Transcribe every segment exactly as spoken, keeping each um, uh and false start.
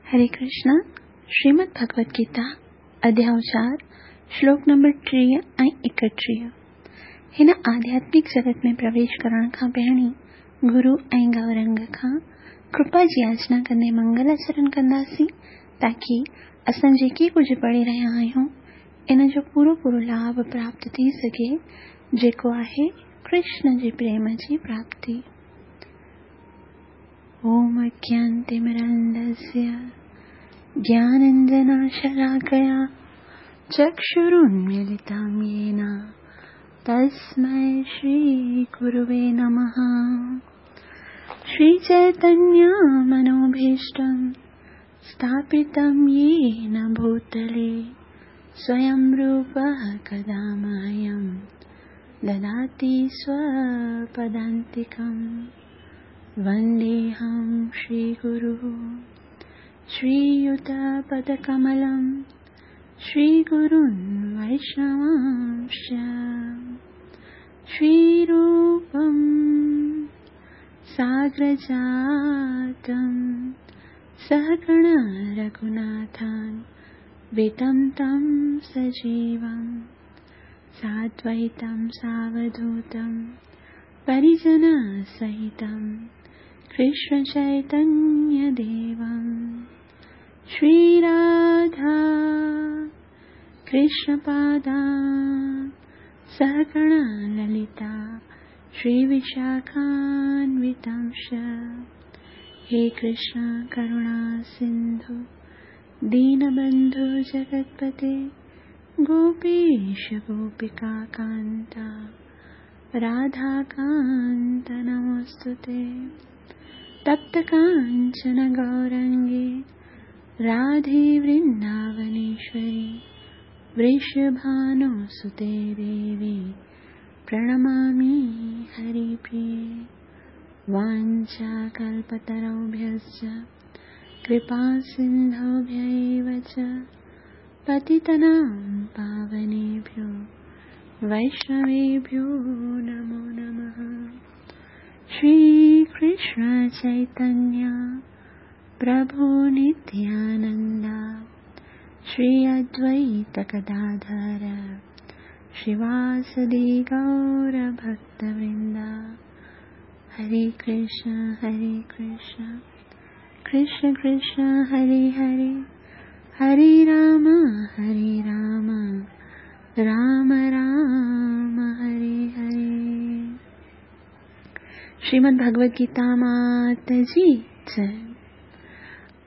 हरे कृष्णा। श्रीमद् भगवत गीता अध्याय चार श्लोक नंबर टीह ऐं एकटीह। हिन आध्यात्मिक जगत में प्रवेश करण खां पहिरीं गुरु ऐं गौरंग खां कृपा जी याचना कंदे मंगलाचरण कंदासीं ताकी असां जेके कुझु पढ़ी रहिया आहियूं इन जो पूरो पूरो लाभ प्राप्त थी सघे, जेको आहे कृष्ण जे प्रेम जी प्राप्ति। ओम अज्ञानतिमिरान्धस्य ज्ञानाञ्जनशलाकया चक्षुरुन्मीलितं येन तस्मै श्रीगुरुवे नमः। श्रीचैतन्यमनोभीष्टं स्थापितं येन भूतले स्वयं रूपः कदा मह्यं ददाति स्वपदान्तिकं। वन्देऽहं श्रीगुरुः श्रीयुतपदकमलं श्रीगुरुन् वैष्णवांश्च। श्रीरूपं साग्रजातं सहगण रघुनाथान् वितं तं सजीवं साद्वैतं सावधूतं परिजनसहितं कृष्णचैतन्यदेवं। श्रीराधा कृष्णपादा सहगण ललिता श्रीविशाखान्वितांश्च। हे कृष्ण करुणा सिन्धु दीनबन्धु जगत्पते गोपीश गोपिकाकान्ता राधाकान्त नमोऽस्तुते। तप्तकाञ्चन गौरङ्गे राधे वृन्दावनेश्वरी वृषभानुसुते देवी प्रणमामि हरिप्रिये। वाञ्छाकल्पतरुभ्यश्च कृपासिन्धुभ्य एव च पतितानां पावनेभ्यो वैष्णवेभ्यो नमो नमः। श्री कृष्ण चैतन्य प्रभु नित्यानंद श्री अद्वैत गदाधर श्रीवासदि गौर भक्तवृंद। हरे कृष्ण हरे कृष्ण कृष्ण कृष्ण हरे हरे, हरे राम हरे राम राम राम हरे हरे। श्रीमद् भगवद गीता मात जी जय।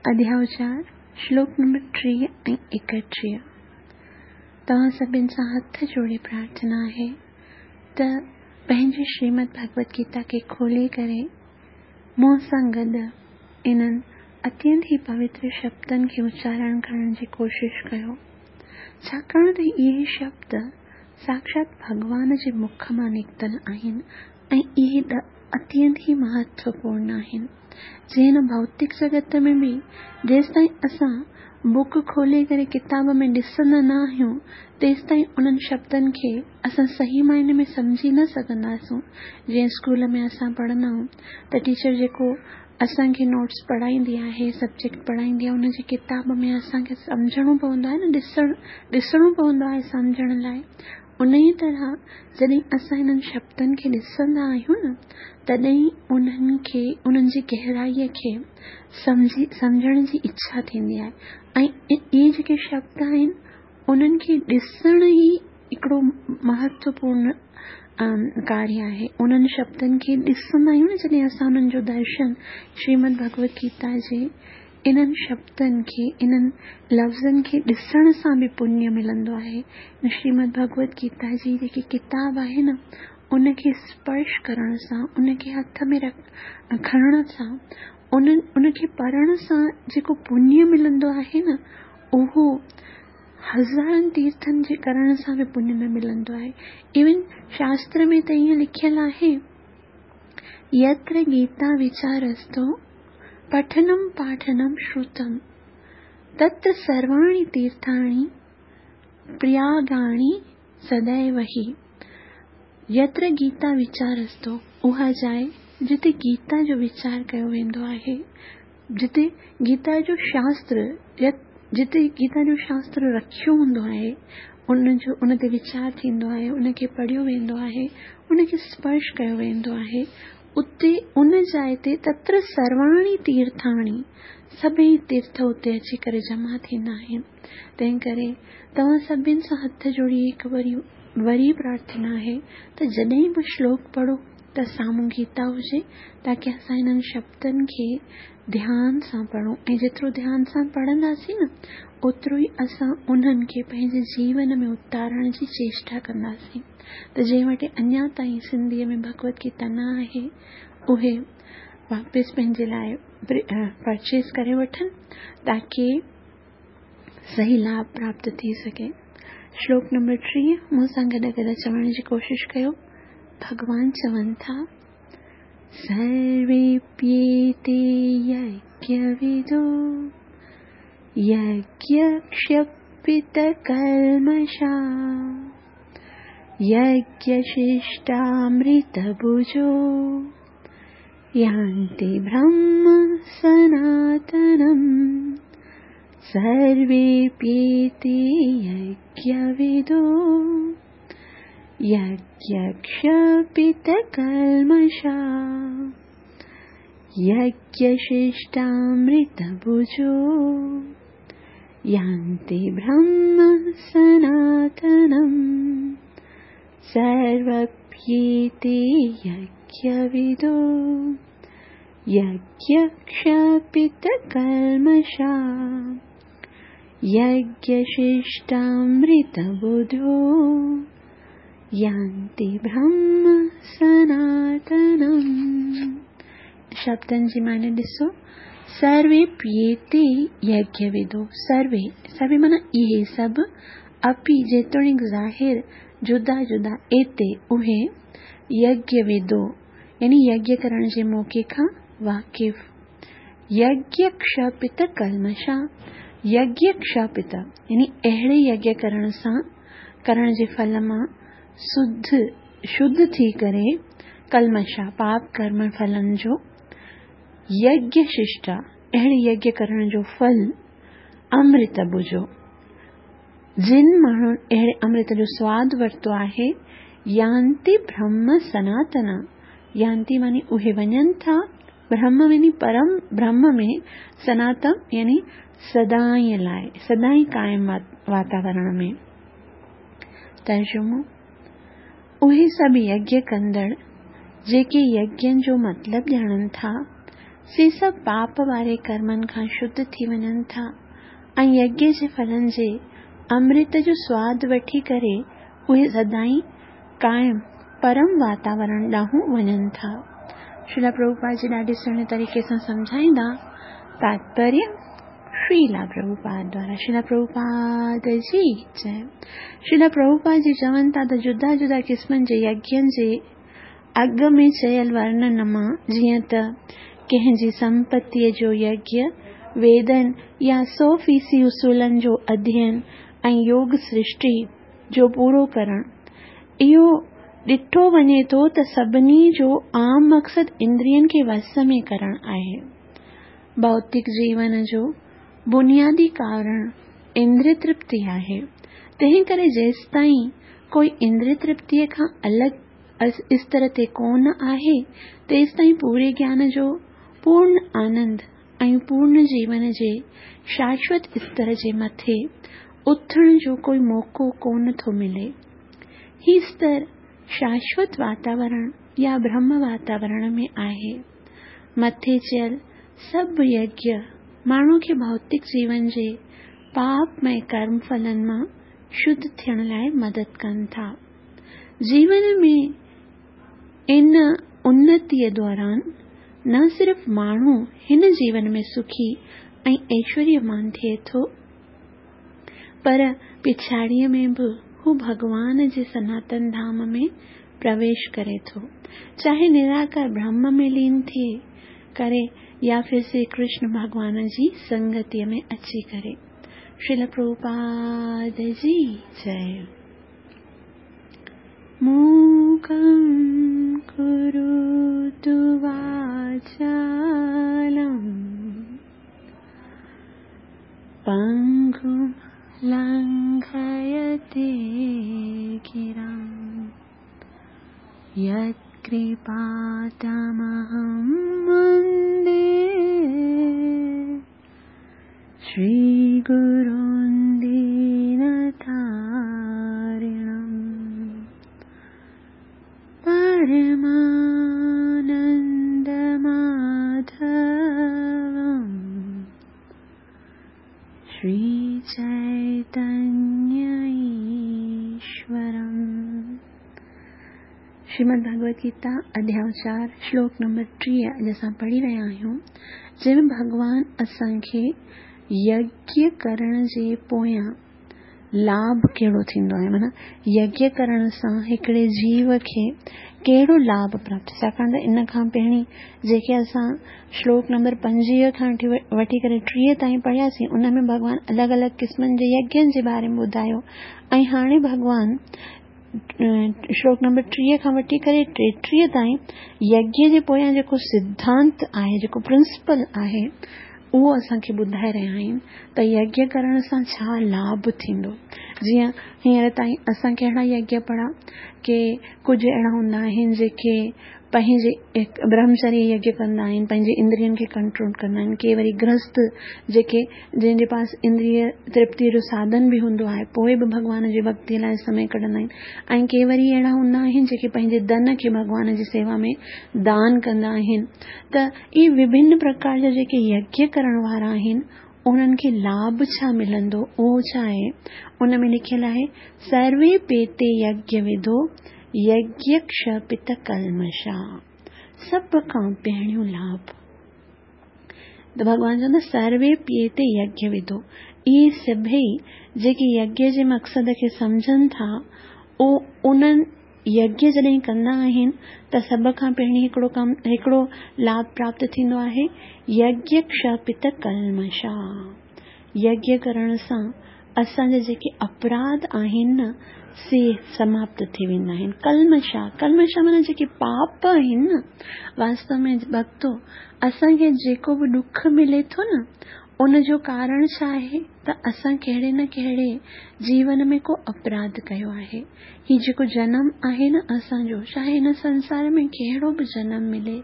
अध्याय चार श्लोक नंबर टीह ऐं एकटीह। तव्हां सभिनि सां हथ जोड़े प्रार्थना आहे त पंहिंजी श्रीमद् भगवद गीता खे खोले करे मूं सां गॾु इन्हनि अत्यंत ई पवित्र शब्दनि खे उच्चारण करण जी कोशिश कयो, छाकाणि त इहे शब्द साक्षात भॻवान जे मुख मां निकितल आहिनि ऐं इहे अत्यंत ई महत्वपूर्ण आहिनि। जीअं हिन भौतिक जगत में बि जेसिताईं असां बुक खोले करे किताब में ॾिसंदा न आहियूं तेसिताईं उन्हनि शब्दनि खे असां सही मायने में सम्झी न सघंदासूं। जीअं स्कूल में असां पढ़ंदा आहियूं त टीचर जेको असांखे नोट्स पढ़ाईंदी आहे, सब्जेक्ट पढ़ाईंदी आहे, उनजी किताब में असांखे सम्झणो पवंदो आहे न, ॾिसण ॾिसणो पवंदो आहे सम्झण लाइ। उन ई तरह जॾहिं असां हिननि शब्दनि खे ॾिसंदा आहियूं न तॾहिं उन्हनि खे उन्हनि जी गहराईअ खे सम्झी सम्झण जी इच्छा थींदी आहे ऐं इहे जेके शब्द आहिनि उन्हनि खे ॾिसण ई हिकिड़ो महत्वपूर्ण कार्य आहे। उन्हनि शब्दनि खे ॾिसंदा आहियूं न जॾहिं असां उन्हनि जो दर्शन श्रीमद् भगवद गीता जे इन्हनि शब्दनि खे इन्हनि लफ़्ज़नि खे ॾिसण सां बि पुण्य मिलंदो आहे। श्रीमद् भगवद गीता जी जेकी किताब आहे न उनखे स्पर्श करण सां, उनखे हथ में रख खणण सां, उन्हनि उनखे पढ़ण सां जेको पुण्य मिलंदो आहे न उहो हज़ारनि तीर्थनि जे करण सां बि पुण्य न मिलंदो आहे। इवन शास्त्र में त ईअं लिखियलु आहे, यत्र गीता विचारस्तो पठनं पाठनं श्रुतं तत्र सर्वाणि तीर्थाणि प्रयागाणि सदैव हि। यत्र गीता विचारस्तो उहा जाइ जिते गीता जो वीचार कयो वेंदो आहे, जिते गीता जो शास्त्र या जिते गीता जो शास्त्र रखियो हूंदो आहे, उन जो उन ते वीचार थींदो आहे, उनखे पढ़ियो वेंदो आहे, उनखे स्पर्श कयो वेंदो आहे, उते उन जाइ ते तत्र सर्वाणी तीर्थाणी, सभई तीर्थ उते अची करे जमा थींदा आहिनि। तंहिं करे तव्हां सभिनि सां हथ जोड़ी हिकु वरी वरी प्रार्थना आहे त जॾहिं बि श्लोक पढ़ो त साम्हूं गीता हुजे, ताकी असां हिननि शब्दनि खे ध्यान सां पढ़ूं ऐं जेतिरो ध्यान सां पढ़ंदासीं न ओतिरो ई असां उन्हनि खे पंहिंजे जीवन में उतारण जी चेष्टा कंदासीं। त जंहिं वटि अञा ताईं सिंधीअ में भगवत गीता न आहे उहे वापसि पंहिंजे लाइ परचेज़ करे वठनि ताकी सही लाभ प्राप्त थी सघे। श्लोक नंबर टीह मूं सां गॾु गॾु चवण जी कोशिशि कयो। भॻवान चवनि था, सर्वेप्येते यज्ञविदो यज्ञक्षपितकल्मषा यज्ञशिष्टामृतभुजो यान्ति ब्रह्म सनातनम्। सर्वेप्येते यज्ञविदो यज्ञक्षपितकल्मषा यज्ञशिष्टामृतभुजो यान्ति ब्रह्म सनातनम्। सर्वप्येते यज्ञविदो यज्ञक्षपितकल्मषा यज्ञशिष्टामृतबुधो यान्ति ब्रह्म सनातनम्। शब्दनि जी माने ॾिसो, सर्वे प्येते यज्ञविदो, सर्वे सर्वे माना इहे सभु, अपि जेतोणीकि ज़ाहिर जुदा जुदा, एते उहे, यज्ञविदो यानी यज्ञ करण जे मौक़े खां वाक़िफ़, यज्ञ क्षपित कल्मषा, यज्ञ क्षपित यानी अहिड़े यज्ञ करण सां करण जे फल मां शुद्ध शुद्ध थी करे कल्मषा पाप कर्म फलनि जो, यज्ञ शिष्टा अहिड़े यज्ञ करण जो फल अमृत बुझो, जिन माण्हुनि अहिड़े अमृत जो स्वाद वरितो आहे, यान्ति ब्रह्म सनातन, यान्ति मानी उहे वञनि था, ब्रह्म यानी परम ब्रह्म में, सनातन यानी सदाईं लाइ सदाईं क़ाइम वातावरण में। तर्जुमो, उहे सभु यज्ञ कंदड़ जेके यज्ञनि जो मतिलबु ॼाणनि था से सभु पाप वारे कर्मनि खां शुद्ध थी वञनि था ऐं यज्ञ जे फलनि जे अमृत जो स्वाद वठी करे उहे सदाईं क़ाइम परम वातावरण ॾांहुं वञनि था। श्रीला प्रभुपाद जी ॾाढे सुहिणे तरीक़े सां सम्झाईंदा। तात्पर्य श्रीला प्रभुपाद द्वारा। श्रीला प्रभुपाद जी जय। श्रीला प्रभुपाद जी चवनि था त जुदा जुदा क़िस्मनि जे यज्ञनि जे अॻु में चयल वर्णन मां जीअं त कंहिंजी संपत्तीअ जो यज्ञ, वेदन या सौ फ़ीसदी उसूलनि जो अध्ययन ऐं योग सृष्टि जो पूरो करणु, इहो ॾिठो वञे थो त सभिनी जो आम मक़सदु इंद्रियनि खे वस में करणु आहे। भौतिक जीवन जो बुनियादी कारण इंद्रिय तृप्ति आहे, तंहिं करे जेसिताईं कोई इंद्रिय तृप्तीअ खां अलॻि स्तर ते कोन आहे तेसिताईं पूरे ज्ञान जो पूर्ण आनंद ऐं पूर्ण जीवन जे शाश्वत स्तर जे मथे उथण जो कोई मौक़ो कोन थो मिले। ही स्तर शाश्वत वातावरण या ब्रह्म वातावरण में आहे। मथे चयल सभु यज्ञ माण्हू खे भौतिक जीवन जे पापमय कर्म फलनि मां शुद्ध थियण लाइ मदद कनि था। जीवन में इन उन्नतीअ दौरान न सिर्फ़ माण्हू हिन जीवन में सुखी ऐं ऐश्वर्यमान थिए थो, पर पिछाड़ीअ में बि हू भॻवान जे सनातन धाम में प्रवेश करे थो, चाहे निराकार ब्रह्म में लीन थिए करे या फिर श्री कृष्ण भॻवान जी संगतीअ में अची करे। श्रील प्रभुपाद जी जय। मूकं करोतु वाचालं पंगुं लंघयते गिरां यत्कृपातमहं वन्दे श्रीगुरुं दीनतारिणं परमानन्दमाधवं श्रीचैतन्य ईश्वरम्। श्रीमद् भगवद गीता अध्याय चार श्लोक नंबर टीह अॼु असां पढ़ी रहिया आहियूं, जंहिंमें भॻवान असांखे यज्ञ करण जे पोयां लाभ कहिड़ो थींदो आहे, माना यज्ञ करण सां हिकिड़े जीव खे कहिड़ो लाभ प्राप्त। छाकाणि त इन खां पहिरीं जेके असां श्लोक नंबर पंजवीह खां वठी करे टीह ताईं पढ़ियासीं, उन में भॻवान अलॻि अलॻि क़िस्मनि जे यज्ञनि जे बारे में ॿुधायो ऐं हाणे भॻवान श्लोक नंबर टीह खां वठी करे टेटीह ताईं यज्ञ जे पोयां जेको सिद्धांत आहे, जेको प्रिंसिपल आहे, उहो असांखे ॿुधाए रहिया आहिनि त यज्ञ करण सां छा लाभ थींदो। जीअं हींअर ताईं असां कहिड़ा यज्ञ पढ़ा के कुझु अहिड़ा हूंदा आहिनि जेके पंहिंजे ब्रह्मचर्य यज्ञ कंदा आहिनि, पंहिंजे इंद्रियनि खे कंट्रोल कंदा आहिनि। के वरी गृहस्थ जेके जंहिंजे पास इंद्रिय तृप्तीअ जो साधन बि हूंदो आहे, पोइ बि भॻवान जी भक्तीअ लाइ समय कढंदा आहिनि। ऐं के वरी अहिड़ा हूंदा आहिनि जेके पंहिंजे धन खे भॻवान जी सेवा में दान कंदा आहिनि। त इहे विभिन्न प्रकार जा जेके यज्ञ करण वारा आहिनि, उन्हनि खे लाभ छा मिलंदो, उहो छा आहे, उन में लिखियलु आहे सर्वे पेते यज्ञ विधो यज्ञ क्षपित कल्मषा। सभ खां पहिरियों लाभ त भॻवान चवंदो सर्वे पेते यज्ञ विधो, इहे सभई जेके यज्ञ जे मक़सद खे सम्झनि था, उहो उन्हनि यज्ञ जॾहिं कंदा आहिनि त सभ खां पहिरीं हिकिड़ो कमु, हिकिड़ो लाभ प्राप्त थींदो आहे यज्ञ क्षपित कल्मषा। यज्ञ करण सां असांजा जेके अपराध आहिनि न, से समाप्त थी वेंदा आहिनि। कल्मषा, कल्मषा माना जेके पाप आहिनि न, वास्तव में भक्तो असांखे जेको बि ॾुख मिले थो न, उन जो कारण छा आहे त असां कहिड़े न कहिड़े जीवन में को अपराध कयो आहे। ही जेको जनम आहे न असांजो, चाहे हिन संसार में कहिड़ो बि जनम मिले,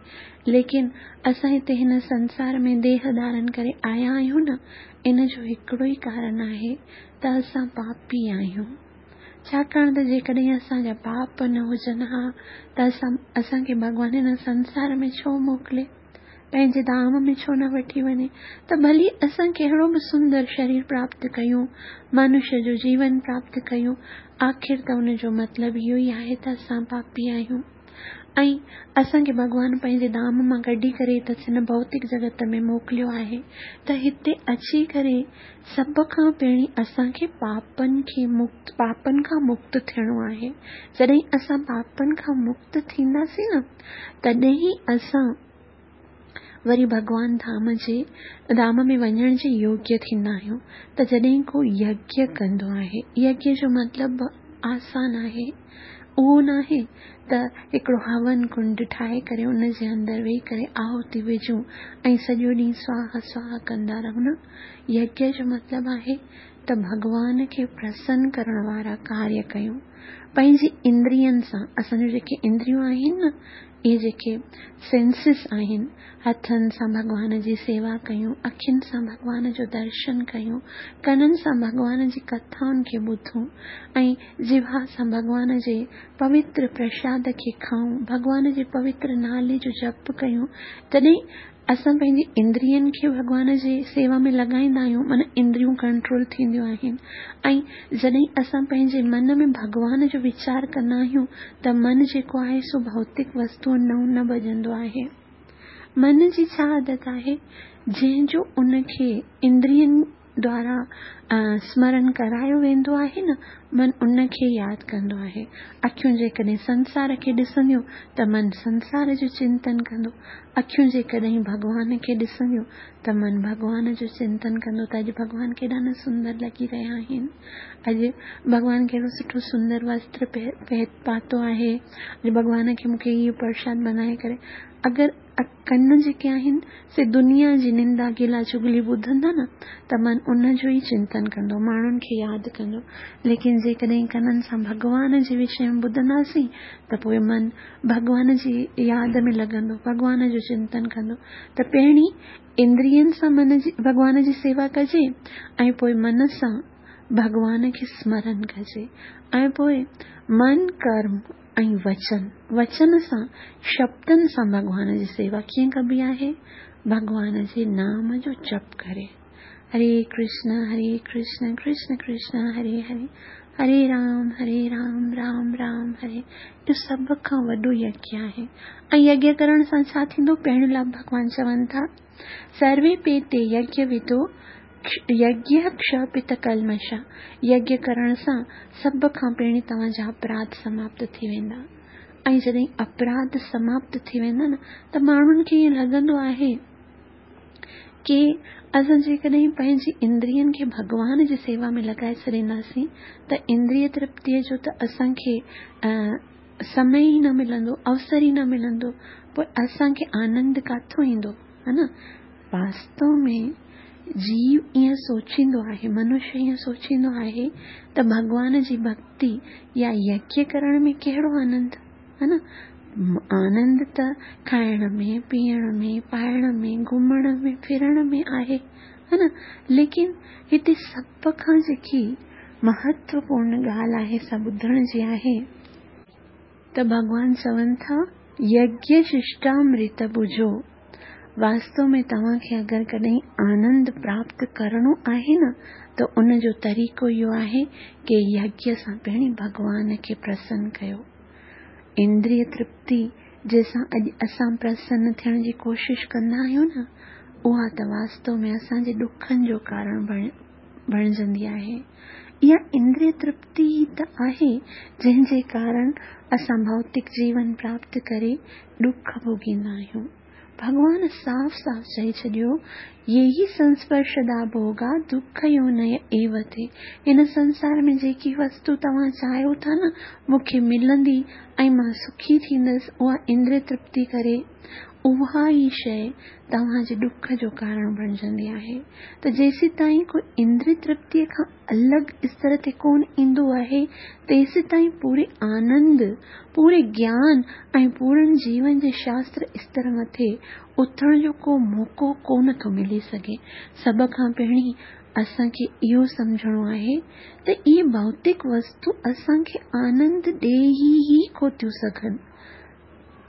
लेकिन असां हिते हिन संसार में देह धारण करे आया आहियूं न, इन जो हिकिड़ो ई कारण आहे त असां पापी आहियूं। छाकाणि त जेकॾहिं असांजा पाप न हुजनि हा त असां असांखे भॻवान हिन संसार में छो मोकिले, पंहिंजे धाम में छो न वठी वञे। त भली असां कहिड़ो बि सुंदर शरीर प्राप्त कयूं, मनुष्य जो जीवन प्राप्त कयूं, आख़िर त उनजो मतिलबु इहो ई आहे त असां पापी आहियूं ऐं असांखे भॻवान पंहिंजे धाम मां कढी करे त हिन भौतिक जगत में मोकिलियो आहे। त हिते अची करे सभ खां पहिरीं असांखे पापनि खे मुक्त, पापनि खां मुक्त थियणो आहे। जॾहिं असां पापनि खां मुक्त थींदासीं न, तॾहिं ई असां वरी भॻवान धाम जे धाम में वञण जे योग्य थींदा आहियूं। त जॾहिं को यज्ञ कंदो आहे, यज्ञ जो मतिलबु आसान आहे, उहो न आहे त हिकिड़ो हवन कुंड ठाहे करे उन जे अंदरि वेही करे आहुति विझूं ऐं सॼो ॾींहुं स्वाहा स्वाहा कंदा रहूं न। यज्ञ जो मतिलबु आहे त भॻवान खे प्रसन्न करण वारा कार्य कयूं पंहिंजी इंद्रियनि सां। असांजूं जेके इंद्रियूं आहिनि न, इहे जेके सेंसिस आहिनि, हथनि सां भॻवान जी सेवा कयूं, अखियुनि सां भॻवान जो दर्शन कयूं, कननि सां भॻवान जी कथाउनि खे ॿुधूं ऐं जिह्वा सां भॻवान जे पवित्र प्रसाद खे खाऊं, भॻवान जे पवित्र नाले जो जप कयूं। तॾहिं असां पंहिंजी इंद्रियनि खे भॻवान जी सेवा में लॻाईंदा आहियूं, माना इंद्रियूं कंट्रोल थींदियूं आहिनि। ऐं जॾहिं असां पंहिंजे मन में भॻवान जो वीचार कंदा आहियूं त मन जेको आहे सो भौतिक वस्तुअनि ॾांहुं न भॼंदो आहे। मन जी छा आदत आहे, जंहिंजो उनखे इंद्रियनि द्वारा स्मरण करायो वेंदो आहे न, मन उनखे यादि कंदो आहे। अखियूं जेकॾहिं संसार खे ॾिसंदियूं त मन संसार जो चिंतन कंदो, अखियूं जेकॾहिं भॻवान खे ॾिसंदियूं त मन भॻवान जो चिंतन कंदो त अॼु भॻवान केॾा न सुंदर लॻी रहिया आहिनि, अॼु भॻवान कहिड़ो सुठो सुंदर वस्त्र पातो आहे, अॼु भॻवान खे मूंखे इहो प्रसाद बनाए करे। اگر ڪن جيڪي آهن سي دنيا جي نندا گلا چغلي ٻڌندا نه ته من ان جو ئي چنتن ڪندو، ماڻهن کي ياد ڪندو. ليڪن جيڪڏهن ڪنن سان ڀڳوان جي وشي ۾ ٻڌنداسين ته پوءِ من ڀڳوان جي ياد ۾ لڳندو، ڀڳوان جو چنتن ڪندو. ته پهرين اندرين سان من جي ڀڳوان جي سيوا ڪجي ۽ پوءِ من سان ڀڳوان کي سمرن ڪجي ۽ پوءِ من ڪرم ۽ وچن، وچن سان شبدن سان ڀڳوان جي سيوا ڪيئن ڪبي آهي؟ ڀڳوان جي نام جو جپ ڪري. هري ڪرشن هري ڪرشن ڪرشن ڪرشن هري هري، هري رام هري رام رام رام هري. اهو سڀ کان وڏو يگيه آهي. ۽ يگيه ڪرڻ سان ڇا ٿيندو؟ پهريون لاڀ ڀڳوان چون ٿا، سروي پيتي يگيه وڌو يگيه ڪشپت ڪلمشا. يگيه ڪرڻ سان سڀ کان پهرين توهان جا اپراڌ سماپت ٿي ويندا. ۽ جڏهن اپراڌ سماپت ٿي ويندا نه ته ماڻهن کي ائين لڳندو آهي ڪه اسان جيڪڏهن پنهنجي اندرين کي ڀڳوان جي سيوا ۾ لڳائي ڇڏينداسين ته اندريه ترپتيءَ جو ته اسان کي سمي ئي نه ملندو، اوسر ئي نه ملندو، پوءِ اسان کي آنند ڪاٿو ايندو؟ ها نه. واستو ۾ جيو ائين سوچيندو آهي، منشيه ائين سوچيندو آهي ته ڀڳوان جي ڀڪتي يا يگيه ڪرڻ ۾ ڪهڙو آنند؟ ها نه. آنند ته کائڻ ۾، پيئڻ ۾، پائڻ ۾، گهمڻ ۾، ڦرڻ ۾ آهي، ها نه. ليڪن هتي سڀ کان جيڪي مهتوپورڻ ڳالهه آهي سا ٻڌڻ جي آهي ته ڀڳوان چون ٿا يگيه ششٽامرت ٻجهو. واستو ۾ توهان کي اگر ڪڏهن آنند پراپت ڪرڻو آهي نه ته ان جو طريقو اهو آهي ڪه يگيه سان پهرين ڀڳوان کي پرسن ڪيو. اندريه ترپتي جنهن سان اڄ اسان پرسن ٿيڻ جي ڪوشش ڪندا آهيون نه، اها ته واستو ۾ اسان جي ڏکن جو ڪارڻ بڻجندي آهي. اها اندريه ترپتي ئي ته آهي جنهن جي ڪارڻ اسان ڀوتڪ جيون پراپت ڪري ڏک ڀوڳيندا آهيون. ڀڳوان صاف صاف چئي ڇڏيو، يي سنسپرشدا ڀوڳا دک يوني ايو ٿي. هن سنسار ۾ جيڪي وستو توهان چاهيو ٿا نه مون کي ملندي ۽ مان سکي ٿيندس، اها اندريه ترپتي ڪري اها ئي شيءِ توهان جي ڏک جو ڪارڻ بڻجندي آهي. ته جيسين تائين ڪوئي اندريه ترپتيءَ کان الڳ استر تي ڪونه ايندو آهي تيسين تائين پوري آنند، پوري گيان ۽ پورن جيون جي شاستر استر مٿي اٿڻ جو ڪو موقعو ڪونه ٿو ملي سگهي. سڀ کان پهرين اسان کي اهو سمجهڻو آهي ته اهي ڀوتڪ وستو اسان کي آنند ڏيئي ئي ڪونه ٿيون سگهن.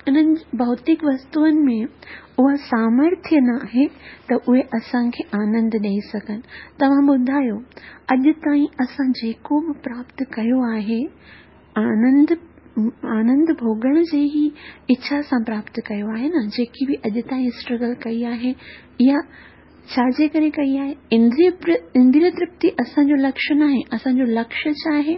انهن ڀوتڪ وستوئن ۾ اها سامرٿيه نه آهي ته اهي اسان کي آنند ڏيئي سگهن. توهان ٻڌايو، اڄ تائين اسان جيڪو به پراپت ڪيو آهي آنند آنند ڀوڳڻ جي ئي اڇا سان پراپت ڪيو آهي نه. جيڪي به اڄ تائين اسٽرگل ڪئي آهي اها ڇا جي ڪري ڪئي آهي؟ اندريه اندريه ترپتي اسان جو لڪشيه نه آهي. اسان جو لڪشيه ڇا آهي؟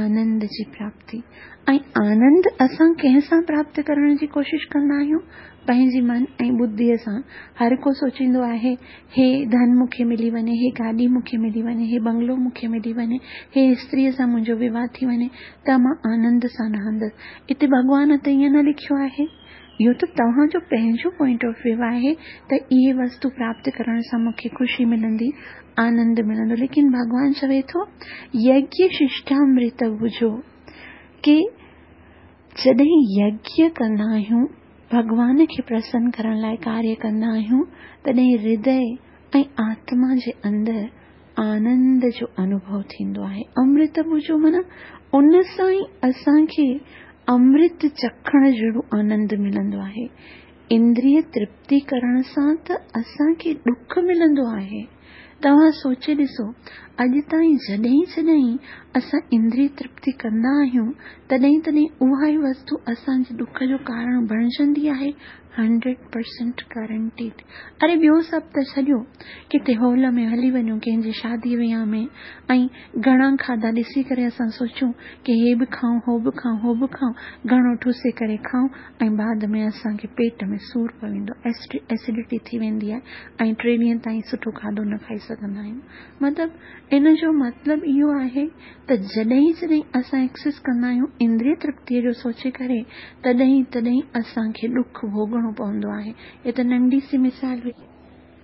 آنند جي پراپتي. ۽ آنند اسان ڪنهن سان پراپت ڪرڻ جي ڪوشش ڪندا آهيون؟ پنهنجي من ۽ ٻڌيءَ سان. هر ڪو سوچيندو آهي هي ڌن مون کي ملي وڃي، هي گاڏي مون کي ملي وڃي، هي بنگلو مون کي ملي وڃي، هي استريءَ سان منهنجو وواهه ٿي وڃي ته مان آنند سان رهندس. هتي ڀڳوان ته ائين نه لکيو آهي. اهو ته توهان جو پنهنجو پوائنٽ آف ويو آهي ته اهي وستو پراپت ڪرڻ سان مون کي خوشي ملندي، آنند ملندو. ليڪن ڀڳوان چوي ٿو يگيه ششٽامرت ٻجهو ڪه جڏهن يگيه ڪندا آهيون، ڀڳوان کي پرسن ڪرڻ لاءِ ڪاريه ڪندا آهيون، تڏهن هردي ۽ آتما جي اندر آنند جو انوڀو ٿيندو آهي. امرت ٻجهو معنيٰ ان سان ئي اسان کي امرت چکڻ جهڙو آنند ملندو آهي. اندريه ترپتي ڪرڻ سان ته اسان کي ڏک ملندو آهي. توهان سوچي ڏسو، اڄ تائين جڏهن جڏهن اسان اندريه ترپتي ڪندا آهيون تڏهن تڏهن اها ئي وستو اسان جي ڏک جو ڪارڻ بڻجندي آهي. Hundred percent guaranteed. اري ٻيو سڀ ته ڇڏيو، ڪٿي هال ۾ هلي وڃون ڪنهن جي شادي وهانءَ ۾ ۽ گهڻا کاڌا ڏسي ڪري اسان سوچون ڪه هي به کائون، هو به کائون، هو به کائون، گهڻو ٺوسي ڪري کائون ۽ بعد ۾ اسان کي پيٽ ۾ سور پوندو، ايسڊٽي ٿي ويندي آهي ۽ ٽي ڏينهن تائين سٺو کاڌو نه کائي سگهندا آهيون. مطلب ان جو مطلب اهو آهي ته جڏهن جڏهن اسان ايڪسيس ڪندا آهيون اندريه ترپتيءَ جو سوچي ڪري، تڏهن تڏهن اسان کي ڏک ڀوڳڻو پوندو آهي. هيءَ ته ننڍي سي مثال هئي.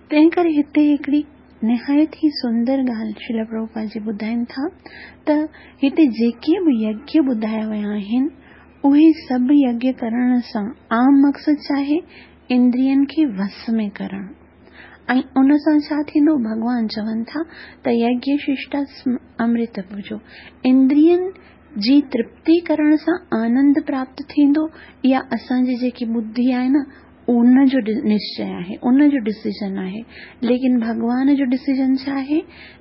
تنهن ڪري هتي هڪڙي نهايت ئي سندر ڳالهه شريل پرڀوپاد جي ٻڌائين ٿا ته هتي جيڪي به يگيه ٻڌايا ويا آهن اهي سڀ يگيه ڪرڻ سان عام مقصد ڇا آهي؟ اندرين کي وس ۾ ڪرڻ. ۽ ان سان ڇا ٿيندو؟ ڀڳوان چون ٿا ته يگيه ششٽا امرت ڀجو، اندرين جي ترپتي ڪرڻ سان آنند پراپت ٿيندو. اها اسان جي جيڪي ٻڌي آهي نه ان جو نشچي آهي، ان جو ڊسيزن آهي. ليڪن ڀڳوان جو ڊسيزن ڇا آهي؟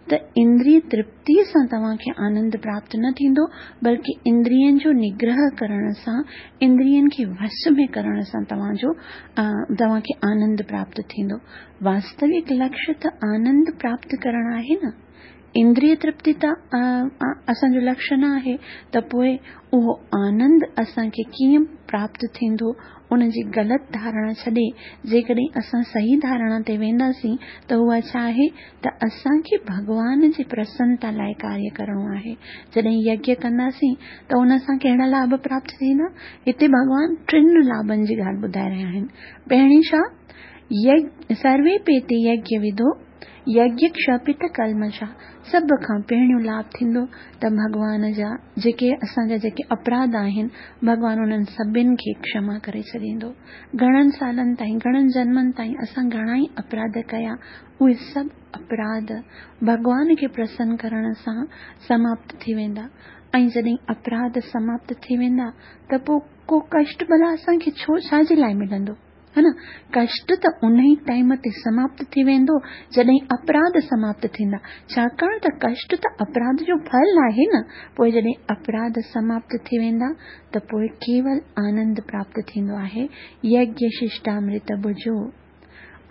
ته اندريه ترپتيءَ سان توهان کي آنند پراپت نه ٿيندو، بلڪه اندرين جو نگرهه ڪرڻ سان، اندرين کي وش ۾ ڪرڻ سان توهان جو توهان کي آنند پراپت ٿيندو. واستوڪ لڪشيه ته آنند پراپت ڪرڻ آهي نه، اندريه ترپتي ته اسان جو لڪشيه نه آهي. ته پوءِ اهو آنند اسان کي ڪيئن پراپت ٿيندو؟ ان جي غلط ڌارڻا ڇڏي جيڪڏهن اسان صحيح ڌارڻا تي وينداسين ته اها ڇا آهي؟ ته اسان کي ڀڳوان جي پرسنتا لاءِ ڪاريه ڪرڻو آهي. جڏهن يگيه ڪنداسين ته ان سان ڪهڙا لاڀ پراپت ٿيندا؟ هتي ڀڳوان ٽن لاڀن جي ڳالهه ٻڌائي رهيا آهن. پهرين ڇا؟ سروي پيتي يگيه وڌو يگيه ڪشپت ڪلمشا. سڀ کان پهريون لاڀ ٿيندو ته ڀڳوان جا جيڪي اسان جا جيڪي اپراڌ آهن ڀڳوان انهن سڀني کي ڪشما ڪري ڇڏيندو. گهڻن سالن تائين، گهڻن جنمن تائين اسان گهڻا ئي اپراڌ ڪيا، اهي سڀ اپراڌ ڀڳوان کي پرسن ڪرڻ سان سماپت ٿي ويندا. ۽ جڏهن اپراڌ سماپت ٿي ويندا ته پوءِ ڪو ڪشٽ ڀلا اسان کي ڇو ڇا جي لاءِ ملندو؟ ها نه، ڪشٽ ته ان ئي ٽائيم تي سماپت ٿي ويندو جڏهن اپراڌ سماپت ٿيندا، ڇاڪاڻ ته ڪشٽ ته اپراڌ جو ڦل آهي نه. پوءِ جڏهن اپراڌ سماپت ٿي ويندا ته پوءِ ڪيول آنند پراپت ٿيندو آهي. يگيه ششٽامرت ڀجو،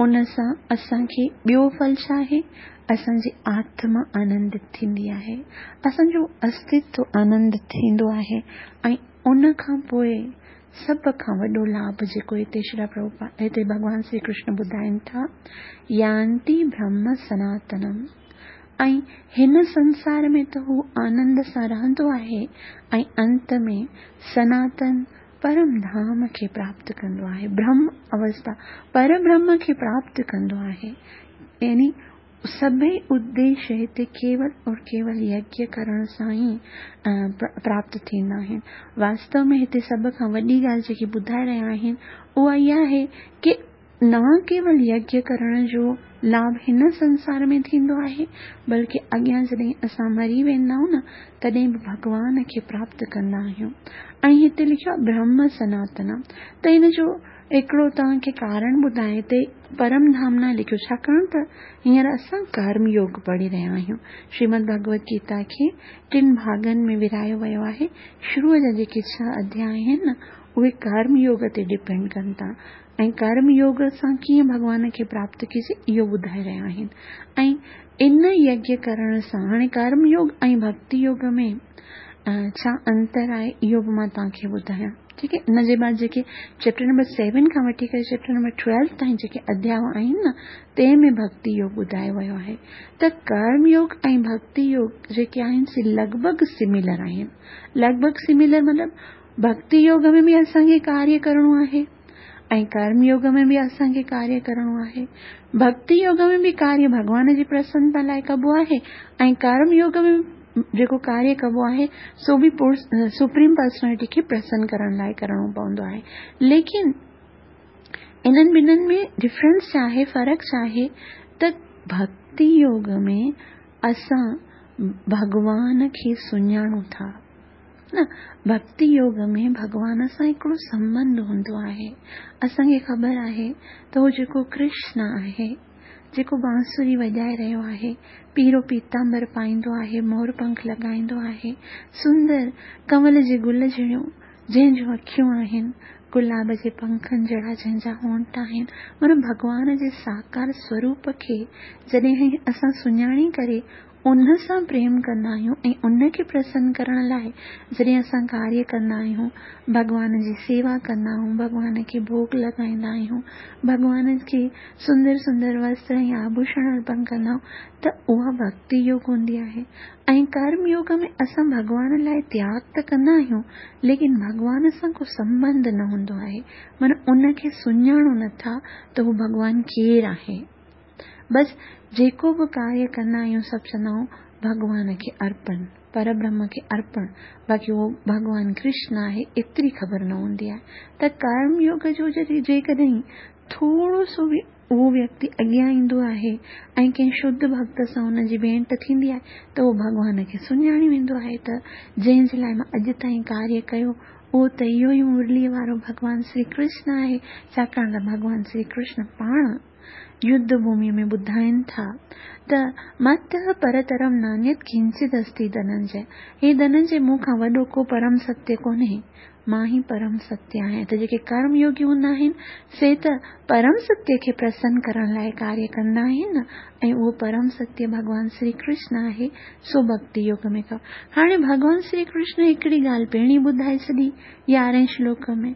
ان سان اسان کي ٻيو ڦل ڇا آهي؟ اسان جي آتما آنندت ٿيندي آهي، اسان جو استتو آنندت ٿيندو آهي. ۽ ان کان پوءِ سڀ کان وڏو لاڀ جيڪو هتي شري پرڀوپاد هتي ڀڳوان شري ڪرشن ٻڌائين ٿا، يانتي برهم سناتنم. ۽ هن سنسار ۾ ته هو آنند سان رهندو آهي ۽ انت ۾ سناتن پرم ڌام کي پراپت ڪندو آهي، برهم اوسٿا پربرهم کي پراپت ڪندو آهي. يعني سڀئي اديشيه هتي ڪيول اور ڪيول يگيه ڪرڻ سان ئي پراپت ٿيندا آهن. واستو ۾ هتي سڀ کان وڏي ڳالهه جيڪي ٻڌائي رهيا آهن اها اها آهي ڪه نه ڪيول يگيه ڪرڻ جو لاڀ هن سنسار ۾ ٿيندو آهي، بلڪه اڳيان جڏهن اسان مري ويندا آهيون نه تڏهن به ڀڳوان کي پراپت ڪندا آهيون. ۽ هتي لکيو آهي برهم سناتن، ته هن جو هڪڙو توهان کي ڪارڻ ٻڌايان، هتي پرم ڌام نه لکيو، ڇاڪاڻ ته هينئر اسان ڪرم يوگ پڙهي رهيا آهيون. شريمد ڀڳوت گيتا کي ٽن ڀاڳن ۾ ورهايو ويو آهي. شروع جا جيڪي ڇهه اڌياءَ آهن نه اهي ڪرم يوگ تي ڊپينڊ ڪن ٿا ۽ ڪرم يوگ سان ڪيئن ڀڳوان کي پراپت ڪجي اهو ٻڌائي رهيا آهن. ۽ ان يگيه ڪرڻ سان هاڻي ڪرم يوگ ۽ ڀڪتي يوگ ۾ ڇا انتر آهي اهو به مان توهان کي ٻڌايان، ٺيڪ آهي. ان جي بعد جيڪي چيپٽر نمبر سيون کان وٺي ڪري چيپٽر نمبر ٽويلو تائين جيڪي اڌياءَ آهن نه تنهن ۾ ڀڪتي يوگ ٻڌايو ويو آهي. ته ڪرم يوگ ۽ ڀڪتي يوگ جيڪي آهن سي لڳ ڀڳ سميلر آهن. لڳ ڀڳ سميلر مطلب ڀڪتي يوگ ۾ به اسان کي ڪاريه ڪرڻو آهي ۽ ڪرم يوگ ۾ به اسان کي ڪاريه ڪرڻو آهي. ڀڪتي يوگ ۾ به ڪاريه ڀڳوان جي پرسنتا لاءِ ڪبو آهي ۽ ڪرم يوگ ۾ جيڪو ڪاريه ڪبو آهي سو به سپريم پرسنالٽي کي پرسن ڪرڻ لاءِ ڪرڻو پوندو آهي. ليڪن انهن ٻنهن ۾ ڊفرنس ڇا آهي، فرق ڇا آهي؟ ته ڀڪتي يوگ ۾ اسان ڀڳوان کي سڃاڻون ٿا نه، ڀڪتي يوگ ۾ ڀڳوان سان هڪڙو سنٻنڌ هوندو آهي. اسان کي خبر آهي ته هو جيڪو ڪرشن آهي، جيڪو بانسري وڄائي رهيو آهي، پيرو پيتامبر پائيندو آهي، مور پنک لڳائيندو آهي، سندر ڪنول جي گل جهڙيون جنهن جون اکيون آهن، گلاب جي پنکن جهڙا جنهن جا هونٺ آهن، معنيٰ ڀڳوان جي ساڪار سوروپ کي جڏهن اسان سڃاڻي ڪري ان سان پريم ڪندا آهيون ۽ ان کي پرسن ڪرڻ لاءِ جڏهن اسان ڪاريه ڪندا آهيون، ڀڳوان جي سيوا ڪندا آهيون، ڀڳوان کي ڀوڳ لڳائيندا آهيون، ڀڳوان کي سندر سندر وستر ۽ آڀوشڻ ارپڻ ڪندا آهيون ته اها ڀڪتي يوگ هوندي آهي. ۽ ڪرم يوگ ۾ اسان ڀڳوان لاءِ تياڳ ته ڪندا آهيون، ليڪن ڀڳوان سان ڪو سنٻنڌ نه هوندو آهي، معنيٰ ان کي سڃاڻو نٿا ته هو ڀڳوان ڪير آهي. بس جيڪو به ڪاريه ڪندا آهيون سڀ چوندا آهيون ڀڳوان کي ارپڻ، پربرهم کي ارپڻ، باقي اهو ڀڳوان ڪرشن آهي ايتري خبر نه هوندي آهي. ته ڪرم يوگ جو جيڪڏهن ٿورو سو به اهو ويڪتي اڳيان ايندو آهي ۽ ڪنهن شڌ ڀڪت سان هن جي ڀينٽ ٿيندي آهي ته اهو ڀڳوان کي سڃاڻي ويندو آهي ته جنهن جي لاءِ مان اڄ تائين ڪاريه ڪيو اهو ته اهو ئي مرليءَ وارو ڀڳوان شري ڪرشن آهي. ڇاڪاڻ ته ڀڳوان شري ڪرشن پاڻ يڌ ڀوميءَ ۾ ٻڌائين ٿا ته مت پرترم نانيت ڪنچت استي ڌننجي، هي ڌننجي مون کان وڏو ڪو پرم ستيه ڪونهي، مان ئي پرم ستيه آهيان. ته جيڪي ڪرم يوگي هوندا آهن سي ته پرم ستيه کي پرسن ڪرڻ لاءِ ڪاريه ڪندا آهن ۽ اهو پرم ستيه ڀڳوان شري ڪرشن آهي، سو ڀڪتي يوگ ۾ ڪيو. هاڻي ڀڳوان شري ڪرشن هڪڙي ڳالهه پهرين ٻڌائي ڇڏي يارهين شلوڪ ۾،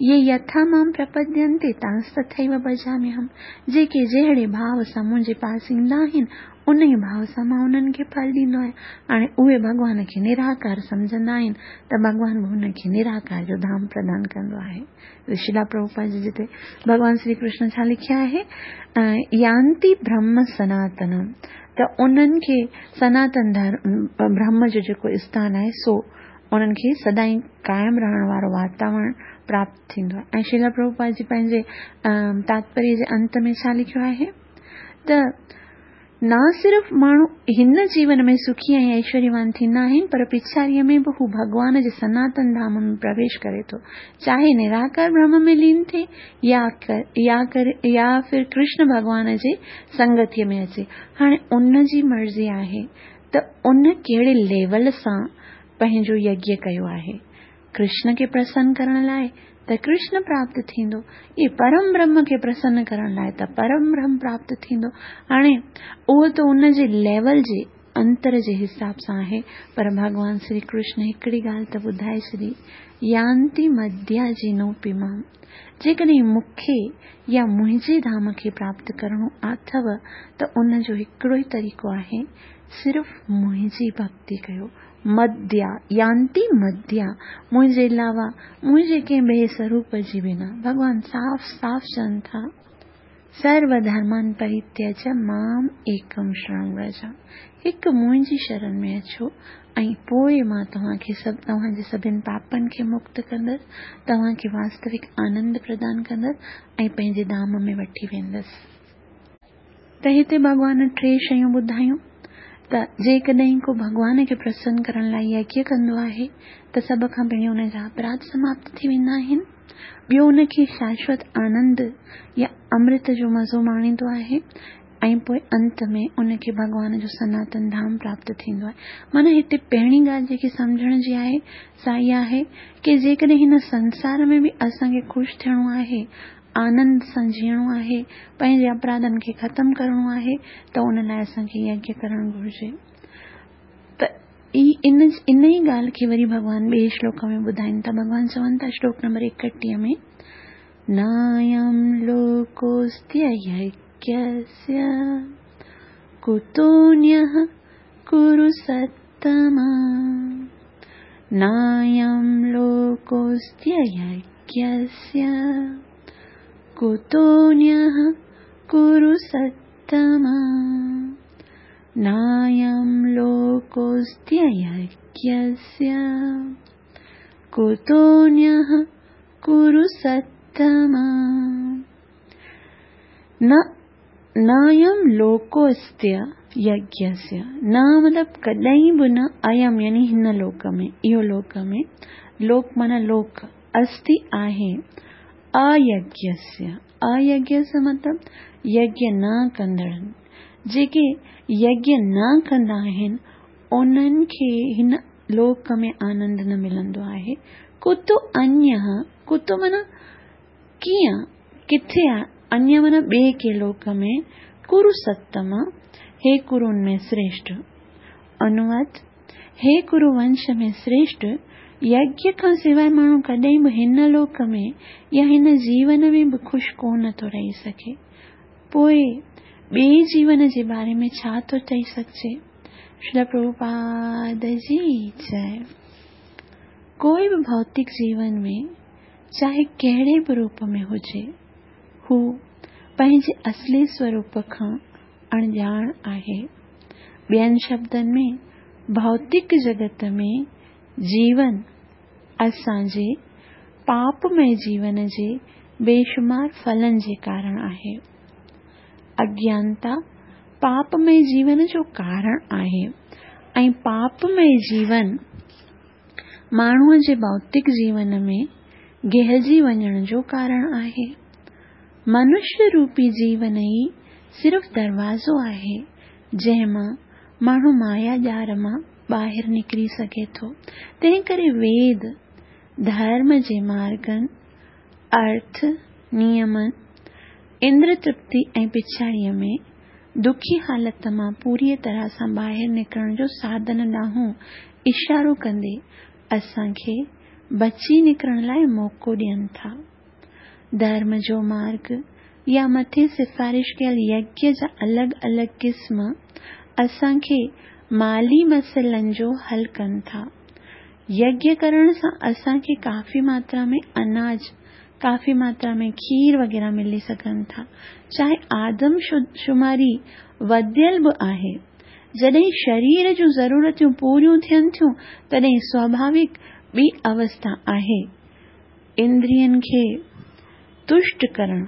يي يٿا مام پرپدينتي تانس تٿيو ڀجاميهم، جيڪي جهڙي ڀاو سان منهنجي پاس ايندا آهن ان ئي ڀاو سان مان انهن کي ڦل ڏيندو آهيان. هاڻي اهي ڀڳوان کي نراڪار سمجهندا آهن ته ڀڳوان به هن کي نراڪار جو ڌام پردان ڪندو آهي. شريلا پرڀوپاد جي جتي ڀڳوان شري ڪرشن ڇا لکيا آهي، يانتي برهم سناتنم، ته انهن کي سناتن برهم جو جيڪو اسٿان آهي سو انهن کي سدائين قائم رهڻ وارو واتاورڻ پراپت ٿيندو آهي. ۽ شريلا پرڀوپاد جي پنهنجي تاتپريه جي انت ۾ ڇا لکيو آهي ته نه صرف ماڻهو هن جيون ۾ سکي ۽ ايشوريوان ٿيندا آهن پر پڇاڙيءَ ۾ به هو ڀڳوان جي سناتن ڌام ۾ پرويش ڪري ٿو، چاهي نراڪار برهم ۾ لين ٿئي يا يا يا ڦر ڪرشن ڀڳوان جي سنگتيءَ ۾ اچي. هاڻي ان جي مرضي آهي ته ان ڪهڙي ليول سان پنهنجو يگيه ڪيو آهي. ڪرشن کي پرسن ڪرڻ لاءِ ته ڪرشن پراپت ٿيندو، اهي پرم برهم کي پرسن ڪرڻ لاءِ ته پرم برهم پراپت ٿيندو. هاڻي اهو ته ان جي ليول جي انتر جي حساب سان آهي، پر ڀڳوان شري ڪرشن هڪڙي ڳالهه ته ٻڌائي ڇڏي، يانتي مديا جي نوپي مام، جيڪڏهن مون کي يا منهنجي ڌام کي پراپت ڪرڻو اٿو ته ان جو هڪڙو ئي طريقو آهي، صرف منهنجي ڀڪتي ڪيو. مديا يانتي مديا، منهنجي علاوه منهنجي ڪنهن ٻئي سوروپ جي بنا. ڀڳوان صاف صاف چون ٿا، سرو ڌرمان پرتيج مام ايڪم شرڻ ورج، هڪ منهنجي شرڻ ۾ اچو ۽ پوءِ مان توهان کي سڀ توهان جي سڀني پاپن کي مڪت ڪندس، توهان کي واستوڪ آنند پردان ڪندس ۽ پنهنجي ڌام ۾ وٺي ويندس. ته هتي ڀڳوان ٽي شيون ٻڌايون ته جيڪڏهن ڪو ڀڳوان کي پرسن ڪرڻ لاءِ يگيه ڪندو آهي ته سڀ کان پهرين هن جا اپراڌ سماپت ٿي ويندا آهن، ٻيو هن کي شاشوت آنند يا امرت جو مزو ماڻيندو آهي ۽ پوءِ انت ۾ ان کي ڀڳوان جو سناتن ڌام پراپت ٿيندو آهي. معنيٰ هتي پهرين ڳالهه جيڪي سمجهڻ جي آهي سا اها آهي ڪه جيڪڏهن هن سنسار ۾ به اسان کي خوش ٿيڻو آهي، آنند سان جيئڻو آهي، پنهنجي اپراڌن کي ختم ڪرڻو آهي ته ان لاءِ اسان کي يگيه ڪرڻ گهرجي. ته ان ان ئي ڳالهه کي وري ڀڳوان ٻئي شلوڪ ۾ ٻڌائين ٿا. ڀڳوان چون ٿا شلوڪ نمبر ايڪٽيهه ۾، نايم لوڪوستي يگيسيه ڪتونيः ڪرو ستما، نايم لوڪوستي يگيسيه ڪتونيः ڪرو ستما، نايم لوڪوستي يگيسيه ڪتونيः ڪرو ستما. نه نايم لوڪوستي يگيسيه، نه مطلب ڪڏهن به نه، ايم يعني هن لوڪ ۾ اهو لوڪ ۾ لوڪ معنيٰ لوڪ، استي آهي، ايگيسيه، ايگيسيه مطلب يگيه نه ڪندڙن، جيڪي يگيه نه ڪندا آهن انهن کي هن لوڪ ۾ آنند نه ملندو آهي. ڪتو انيه، ڪتو معنيٰ ڪيئن، ڪٿي آهي، انيه معنيٰ ٻئي ڪنهن لوڪ ۾، ڪرو ستم، هي ڪرن ۾ شريشٺ، انواد، هي ڪرو ونش ۾ شريشٺ، يگيه کان سواءِ ماڻهو ڪڏهن به هن لوڪ ۾ يا هن جيون ۾ به خوش ڪونه ٿو رهي سگهي. پوءِ ٻئي جيون جي باري ۾ ڇا ٿو چئي سگهجي؟ شريل پرڀوپاد جي جئي. ڪوئي به ڀوتڪ جيون ۾ چاهي ڪهڙي به روپ ۾ هجي، هو پنهنجي اصلي سوروپ کان اڻڄاڻ آهي. ٻين شبدن ۾، ڀوتڪ جڳت ۾ جيون اسان جي پاپمي جيون جي بيشمار ڦلن جي ڪارڻ آهي. اگيانتا پاپمي جيون جو ڪارڻ آهي ۽ پاپمي جيون ماڻهوءَ جي ڀوتڪ جيون ۾ گهلجي وڃڻ جو ڪارڻ آهي. منشيه روپي جيون ئي صرف دروازو آهي، جنهن مان ماڻهو مايا ڄار مان ٻاهر نڪري سگهي ٿو. تنهن ڪري ويد ڌرم جي مارگن، ارٿ، نيمن، اندر ترپتي ۽ پڇاڙيءَ ۾ دکي حالت مان پوريءَ طرح سان ٻاهر نڪرڻ جو ساڌن ڏانهن اشارو ڪندي اسان کي بچي نڪرڻ لاءِ موقعو ڏين ٿا. ڌرم جو مارگ يا مٿي سفارش ڪيل يگيه جا الڳ الڳ قسم اسان کي مالي مسئلن جو حل ڪن ٿا. يگيه ڪرڻ سان اسان کي ڪافي ماترا ۾ اناج، ڪافي ماترا ۾ کير وغيره ملي سگهن ٿا. چاهي آدم شماري وڌيل به آهي، جڏهن شرير جون ضرورتون پوريون ٿين ٿيون تڏهن سواڀاوڪ ٻي اوسٿا آهي اندرين کي تشٽ ڪرڻ.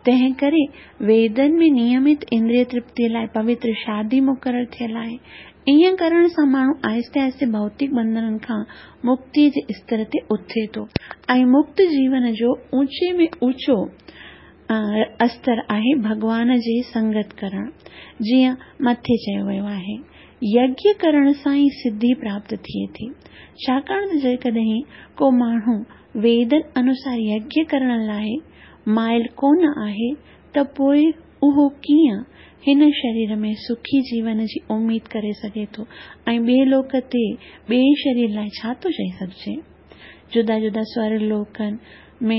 تنهن ڪري ويدن ۾ نيمت اندريه ترپتيءَ لاءِ پوتر شادي مقرر ٿيل آهي. ائين ڪرڻ سان ماڻهو آهستي آهستي ڀوتڪ ٻنڌنن کان مڪتيءَ جي استر تي اٿي ٿو ۽ مڪت جيون جو اوچي ۾ اوچو استر آهي ڀڳوان جي سنگت ڪرڻ. جيئن مٿي چيو ويو آهي، يگيه ڪرڻ سان ئي سڌي پراپت ٿئي ٿي. ڇاڪاڻ ته جيڪڏهن ڪو ماڻهو ويدن انوسار يگيه ڪرڻ لاءِ مائل ڪونه آهي ته پوءِ اهو ڪيئن هن شرير ۾ سکي جيون جي اميد ڪري سگهي ٿو ۽ ٻئي لوڪ تي ٻئي شرير لاءِ ڇا ٿو چئي سگهجي؟ جدا جدا سور لوڪن ۾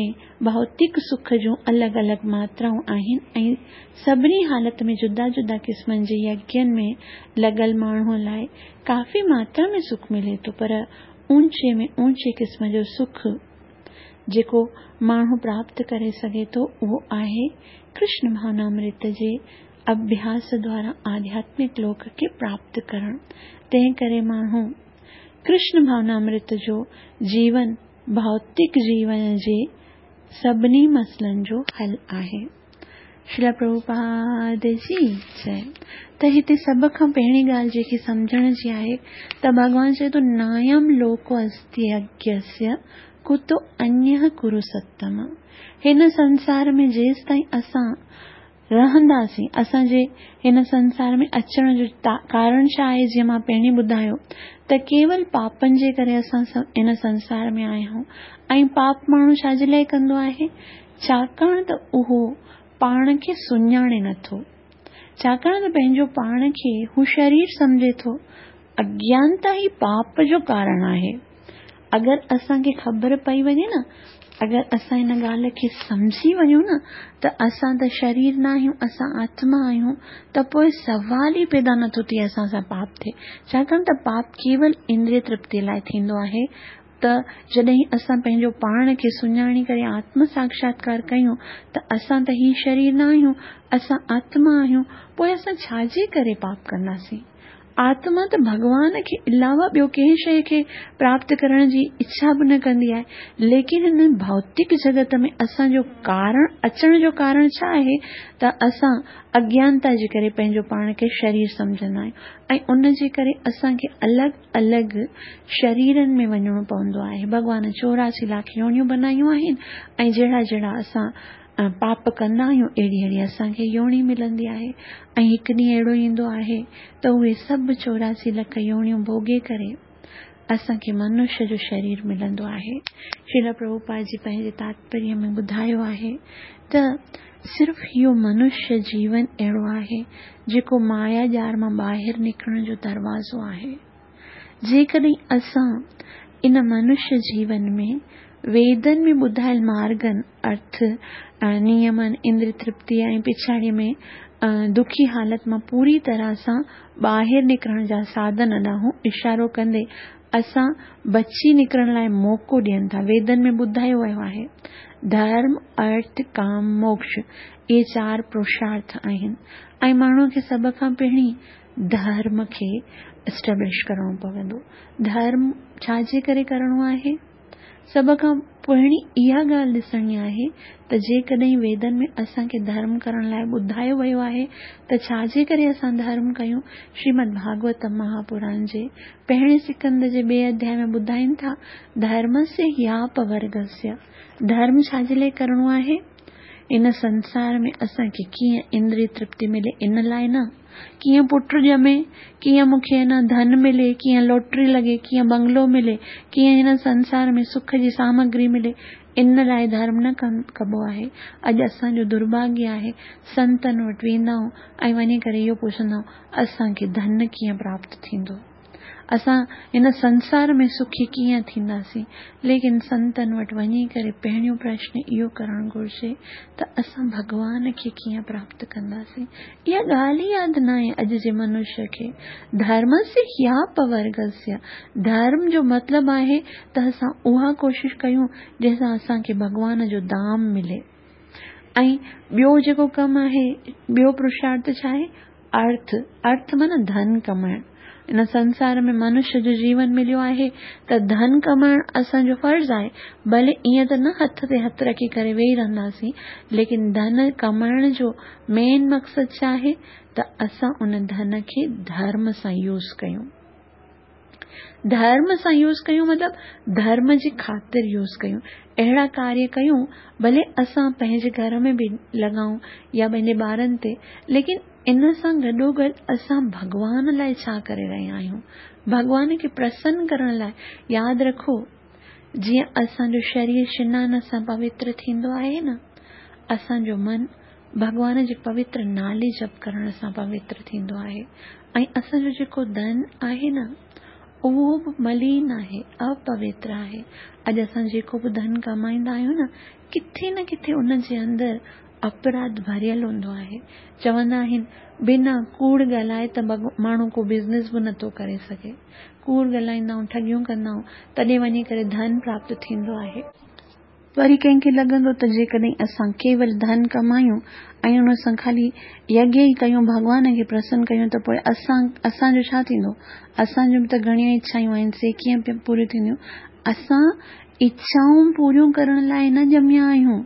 ڀوتڪ سک جون الڳ الڳ ماترائون آهن ۽ سڀني حالت ۾ جدا جدا قسمن جي يگين ۾ لڳل ماڻهوءَ لاءِ ڪافي ماترا ۾ سک ملي ٿو، پر اوچي ۾ اوچي قسم جو سک جيڪو ماڻهو پراپت ڪري سگهي ٿو اهو آهي ڪرشن ڀاونامرت جي اڀياس دوارا آڌياتمڪ لوڪ کي پراپت ڪرڻ. تنهن ڪري ماڻهو ڪرشن ڀاونامرت جو جيون ڀوتڪ جيون جي سڀني مسئلن جو حل آهي. شريل پرڀوپاد جي جئي. ته هتي سڀ کان پهرين ڳالهه جيڪي سمجهڻ جي آهي ته ڀڳوان چئي ٿو نايم لوڪو استي يگيسيه ڪتو انيه ڪرو ستم. هن سنسار ۾ جيستائين اسان رهنداسين، اسان جي هن سنسار ۾ اچڻ جو ڪارڻ ڇا آهي؟ جيئن مان پهرين ٻڌايو ته ڪيول پاپن جي ڪري اسان هن سنسار ۾ آيا آهيون. ۽ پاپ ماڻهو ڇا جي لاءِ ڪندو آهي؟ ڇاڪاڻ ته اهو پاڻ کي سڃاڻي نٿو، ڇاڪاڻ ته پنهنجو پاڻ کي هو شرير سمجهي ٿو. اگيانتا ئي پاپ جو ڪارڻ آهي. اگر اسان کي خبر پئي وڃي نه، اگر اسان هن ڳالهه کي سمجهي وڃون نه ته اسان ته شرير نه آهيون، اسان آتما آهيون، ته پوءِ سوال ئي پيدا نٿو ٿئي اسان سان پاپ ٿئي. ڇاڪاڻ ته پاپ ڪيول اندريه ترپتيءَ لاءِ ٿيندو آهي. ته جڏهن اسان پنهنجو پاڻ کي سڃاڻي ڪري آتم ساڪشاتڪار ڪيون ته اسان ته هي شرير نه آهيون، اسان آتما آهيون، پوءِ اسان ڇا جي ڪري پاپ ڪنداسين؟ آتما ته ڀڳوان کي علاوه ٻيو ڪنهن شيءِ کي پراپت ڪرڻ جي اڇا به نه ڪندي آهي. ليڪن هن ڀوتڪ جڳت ۾ اسان جو ڪارڻ اچڻ جو ڪارڻ ڇا آهي؟ ته اسان اگيانتا جي ڪري پنهنجو پاڻ کي شرير سمجهندا آهيون ۽ ان جي ڪري اسان کي الڳ الڳ شريرن ۾ وڃڻو پوندو آهي. ڀڳوان چوراسي لاک يونيون بنايون آهن ۽ جهڙا جهڙا اسان پاپ ڪندا آهيون اهڙي اهڙي اسان کي يوني ملندي آهي. ۽ هڪ ڏينهن اهڙو ايندو آهي ته اهي سڀ چوراسي لک يونيون ڀوڳي ڪري اسان کي منشيه جو شرير ملندو آهي. شريل پرڀوپاد جي پنهنجي تاتپريه ۾ ٻڌايو آهي ته صرف اهو منشيه جيون اهڙو آهي جيڪو مايا ڄار مان ٻاهر نڪرڻ جو دروازو آهي. جيڪڏهن اسان ان منشيه جيون ۾ ويدن ۾ ٻڌايل مارگن، ارٿ، نيمن، اندريه ترپتي ۽ پڇاڙيءَ ۾ دکي حالت مان پوري طرح سان ٻاهر نڪرڻ جا ساڌن ڏانهن اشارو ڪندي اسان بچي نڪرڻ لاءِ موقعو ڏين ٿا. ويدن ۾ ٻڌايو ويو آهي ڌرم، ارٿ، ڪام، موڪش، اهي چار پرشارٿ آهن ۽ ماڻهوءَ کي سڀ کان پهرين ڌرم کي اسٽيبلش ڪرڻو پوندو. ڌرم ڇا جي ڪري ڪرڻو آهي؟ سڀ کان پهرين اها ڳالهه ڏسڻي آهي ته جيڪڏهن ويدن ۾ اسان کي ڌرم ڪرڻ لاءِ ٻڌايو ويو آهي ته ڇا جي ڪري اسان ڌرم ڪيون؟ شريمد ڀاڳوت مهاپراڻ جي پهرين سڪند جي ٻئي اڌياءِ ۾ ٻڌائين ٿا ڌرمسيه هياپورگسيه. ڌرم ڇا جي لاءِ ڪرڻو آهي؟ ان سنسار ۾ اسان کي ڪيئن اندريه ترپتي ملي ان لاءِ نه، ڪيئن پٽ ڄمي، ڪيئن مون کي نه ڌن ملي، ڪيئن لاٽري لڳي، ڪيئن بنگلو ملي، ڪيئن هن سنسار ۾ سک جي سامگري ملي، ان لاءِ ڌرم نه ڪبو آهي. اڄ اسان جو درڀاگيه آهي سنتن وٽ ويندا آهيون ۽ وڃي ڪري اهو پڇندا آهيون اسان کي ڌن ڪيئن پراپت ٿيندو، اسان هن سنسار ۾ سکي ڪيئن ٿينداسين. ليڪن سنتن وٽ وڃي ڪري پهريون پرشن اهو ڪرڻ گهرجي ته اسان ڀڳوان کي ڪيئن پراپت ڪنداسين. اها ڳالهه ئي ياد نه آهي اڄ جي منشيه کي. ڌرمسيه هياپورگسيه، ڌرم جو مطلب آهي ته اسان اها ڪوشش ڪيون جنهن سان اسان کي ڀڳوان جو دام ملي. ۽ ٻيو جيڪو ڪم آهي، ٻيو پرشارٿ ڇا آهي؟ ارٿ. ارٿ معنيٰ ڌن ڪمائڻ. ان سنسار ۾ منشيه جو جيون مليو آهي ته ڌن ڪمائڻ اسان جو فرض آهي. ڀلي ائين ته نه هٿ تي هٿ رکي ڪري ويهي رهنداسين، ليڪن ڌن ڪمائڻ جو مين مقصد ڇا آهي؟ ته اسان ان ڌن کي ڌرم سان يوز ڪيون. ڌرم سان يوز ڪيون مطلب ڌرم جي خاطر يوز ڪيون. اهڙا ڪاريه ڪيون ڀلي اسان پنهنجي گهر ۾ به لڳائون يا پنهنجي ٻارن تي، ليڪن ان سان گڏوگڏ اسان ڀڳوان لاءِ ڇا ڪري رهيا آهيون؟ ڀڳوان کي پرسن ڪرڻ لاءِ. ياد رکو جيئن اسان جو شرير سنان سان پوتر ٿيندو آهي نه، اسان جو من ڀڳوان جي پوتر نالي جپ ڪرڻ سان پوتر ٿيندو آهي. ۽ اسان جو جيڪو ڌن آهي نه اهو به ملين آهي، اپوتر آهي. اڄ اسان جيڪو به ڌن ڪمائيندا آهيون نه، ڪٿي نه ڪٿي ان جي اندر اپراڌ ڀريل هوندو آهي. چوندا آهن بنا ڪوڙ ڳالهائي ته ماڻهو ڪو بزنس به نٿو ڪري سگهي. ڪوڙ ڳالهائيندا آهيون، ٺڳيون ڪندا آهيون، تڏهن وڃي ڪري ڌن پراپت ٿيندو آهي. وري ڪنهن کي لڳندو ته جيڪڏهن اسان ڪيول ڌن ڪمايون ۽ ان سان خالي يگيه ئي ڪيون، ڀڳوان کي پرسن ڪيون، ته پوءِ اسان اسان جو ڇا ٿيندو؟ اسان جون به ته گهڻيون اڇائون آهن، سي ڪيئن پوريون ٿينديون؟ اسان اڇائون پوريون ڪرڻ لاءِ نه ڄميا آهيون،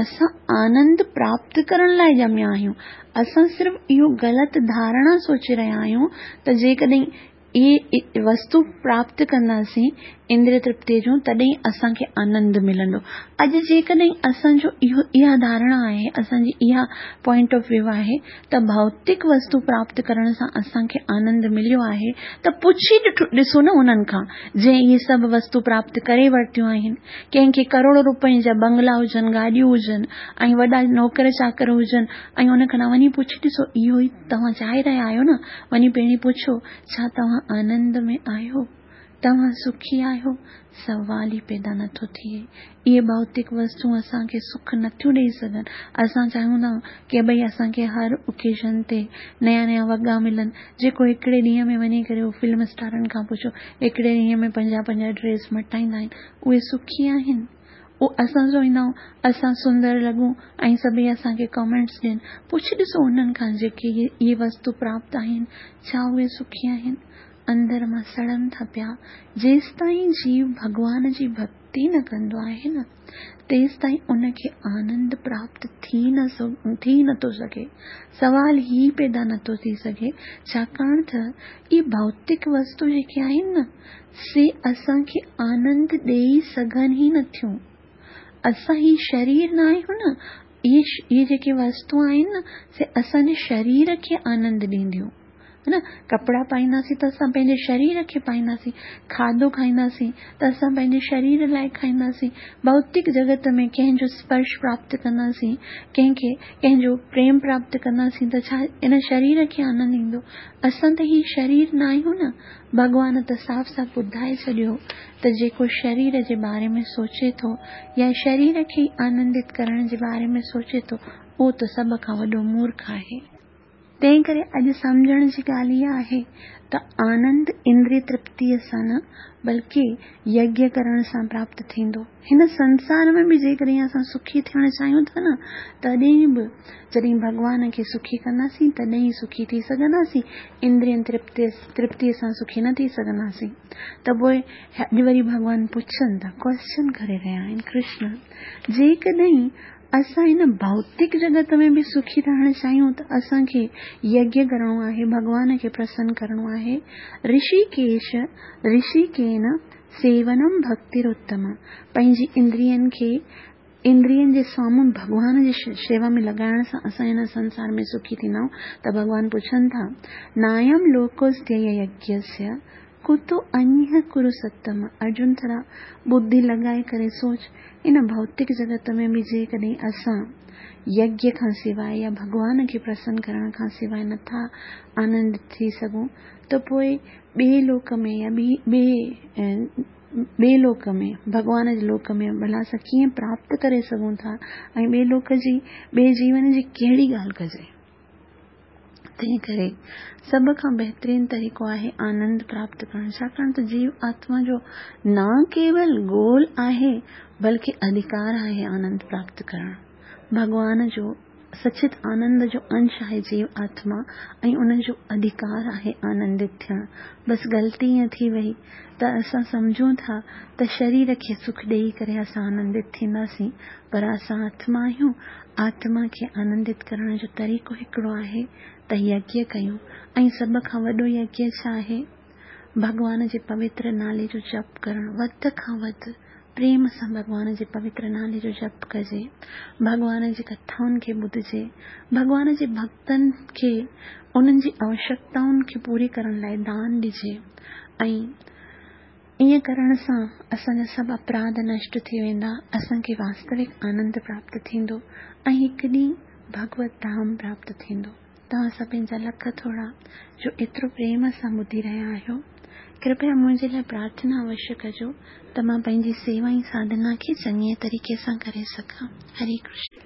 اسان آنند پراپت ڪرڻ لاءِ ڄميا آهيون. اسان صرف اهو غلط ڌارڻا سوچي رهيا آهيون ته جيڪڏهن اهي وستو پراپت ڪنداسين اندريه ترپتيءَ جون، تڏهن اسان کي آنند ملندو. اڄ جيڪڏهن اسان جو اهو اها ڌارڻا آهي، اسان جي اها پوائنٽ آف ويو آهي ته ڀوتڪ وستو پراپت ڪرڻ سان اسان کي آنند مليو آهي، ته پڇي ڏسو نه انهن کان جنهن اهي سڀ وستو پراپت ڪري ورتيون آهن. ڪنهن کي ڪروڙ رپين جا بنگلا هجن، گاڏيون هجن ۽ وڏا نوڪر چاڪر هجن، ۽ ان کان وڃي پڇي ڏسو اهو ئي توهان چاهي رهيا آهيو نه، وڃي پهرين پڇو ڇا توهان آنند ۾ آهيو، توهان سکي آهيو؟ سوال ئي پيدا نٿو ٿئي. اهي ڀوتڪ وستون اسان کي سک نٿيون ڏيئي سگهن. اسان چاهيون ٿا ڪه ڀئي اسان کي هر اوڪيزن تي نيا نيا وڳا ملن. جيڪو هڪڙي ڏينهن ۾ وڃي ڪري اهو فلم اسٽارن کان پڇو، هڪڙي ڏينهن ۾ پنجاهه پنجاهه ڊريس مٽائيندا آهن، اهي سکي آهن؟ اهو اسان چوندا آهيون اسان سندر لڳون ۽ سڀئي اسان کي ڪمينٽس ڏين. پڇي ڏسو انهن کان جيڪي اهي وستو پراپت آهن، ڇا اهي سکي آهن؟ اندر مان سڙن ٿا پيا. جيستائين جيو ڀڳوان جي ڀڪتي نه ڪندو آهي نه، تيستائين ان کي آنند پراپت ٿي نه ٿي نٿو سگهي. سوال ئي پيدا نٿو ٿي سگهي، ڇاڪاڻ ته اهي ڀوتڪ وستو جيڪي آهن نه، سي اسان کي آنند ڏيئي سگهن ئي نٿيون. اسان هي شرير نه آهيون نه، اهي اهي جيڪي وستو آهن نه، سي اسان جي شرير کي آنند ڏينديون، ها نه؟ ڪپڙا پائينداسين ته اسان پنهنجي شرير کي پائينداسين، کاڌو کائينداسين ته اسان پنهنجي شرير لاءِ کائينداسين، ڀوتڪ جڳت ۾ ڪنهن جو سپرش پراپت ڪنداسين، ڪنهن کي ڪنهن جو پريم پراپت ڪنداسين ته ڇا ان شرير کي آنند ايندو؟ اسان ته هي شرير نه آهيون نه. ڀڳوان ته صاف صاف ٻڌائي ڇڏيو ته جيڪو شرير جي باري ۾ سوچي ٿو يا شرير کي آنندت ڪرڻ جي باري ۾ سوچي ٿو، اهو ته سڀ کان وڏو مورک آهي. تنهن ڪري اڄ سمجهڻ جي ڳالهه اها آهي ته آنند اندريه ترپتيءَ سان نه بلڪه يگيه ڪرڻ سان پراپت ٿيندو. هن سنسار ۾ به جيڪڏهن اسان سکي ٿيڻ چاهيون ٿا نه، تڏهن به جڏهن ڀڳوان کي سکي ڪنداسين تڏهن ئي سکي ٿي سگهنداسين، اندرين ترپتي ترپتيءَ سان سکي نه ٿي سگهنداسين. ته پوءِ اڄ وري ڀڳوان پڇن ٿا، ڪوئسچن ڪري رهيا آهن ڪرشن، جيڪڏهن اسان هن ڀوتڪ جڳت ۾ به سکي رهڻ چاهيون ته اسان کي يگيه ڪرڻو آهي، ڀڳوان کي پرسن ڪرڻو آهي. رشيڪيش رشيڪين سيونم ڀڪتيروتم، پنهنجي اندرين کي اندرين جي سامهون ڀڳوان جي شيوا ۾ لڳائڻ سان اسان هن سنسار ۾ سکي ٿيندا آهيون. ته ڀڳوان پڇن ٿا، نايم لوڪوستي يگيسيه ڪتو انيه ڪرو ستم. ارجن ٿورا ٻڌي لڳائي ڪري سوچ، ان ڀوتڪ جڳت ۾ به جيڪڏهن اسان يگيه کان سواءِ يا ڀڳوان کي پرسن ڪرڻ کان سواءِ نٿا آنند ٿي سگهون ته پوءِ ٻئي لوڪ ۾ يا ٻي ٻئي ٻئي لوڪ ۾ ڀڳوان جي لوڪ ۾ ڀلا اسان ڪيئن پراپت ڪري سگهون ٿا ۽ ٻئي لوڪ جي ٻئي جيون جي ڪهڙي ڳالهه ڪجي؟ تنهن ڪري سڀ کان بهترين طريقو آهي آنند پراپت ڪرڻ، ڇاڪاڻ ته جيو آتما جو نه ڪيول گول آهي بلڪه اڌڪار آهي آنند پراپت ڪرڻ. ڀڳوان جو سچت آنند جو انش آهي جيو آتما ۽ ان جو اڌڪار آهي آنندت ٿيڻ. بس غلطي ائين ٿي وئي ته اسان سمجهون ٿا ته شرير کي سک ڏيئي ڪري اسان آنندت ٿينداسين، پر اسان آتما آهيون. آتما کي آنندت ڪرڻ جو طريقو هڪڙو آهي ته يگيه ڪيون. ۽ سڀ کان وڏو يگيه ڇا آهي؟ ڀڳوان جي پوتر نالي جو جپ ڪرڻ. وڌ کان وڌ پريم سان ڀڳوان جي پوتر نالي جو جپ ڪجي، ڀڳوان جي ڪٿائن کي ٻڌجي، ڀڳوان جي ڀڪتن کي انهن جي آوشيڪتائن کي پوري ڪرڻ لاءِ دان ڏجي. ۽ ائين ڪرڻ سان اسان جا سڀ اپراڌ نشٽ ٿي ويندا، اسان کي واستوڪ آنند پراپت ٿيندو ۽ هڪ ڏينهن ڀڳوت ڌام پراپت ٿيندو. توهان سڀني جا لک ٿورا جو ايترو پريم سان ٻڌي رهيا آهيو. ڪرپيا منهنجي لاءِ پرارٿنا اوشيه ڪجو ته مان پنهنجي سيوا ۽ ساڌنا کي چڱي طريقي سان ڪري سگهان. هري ڪرشن.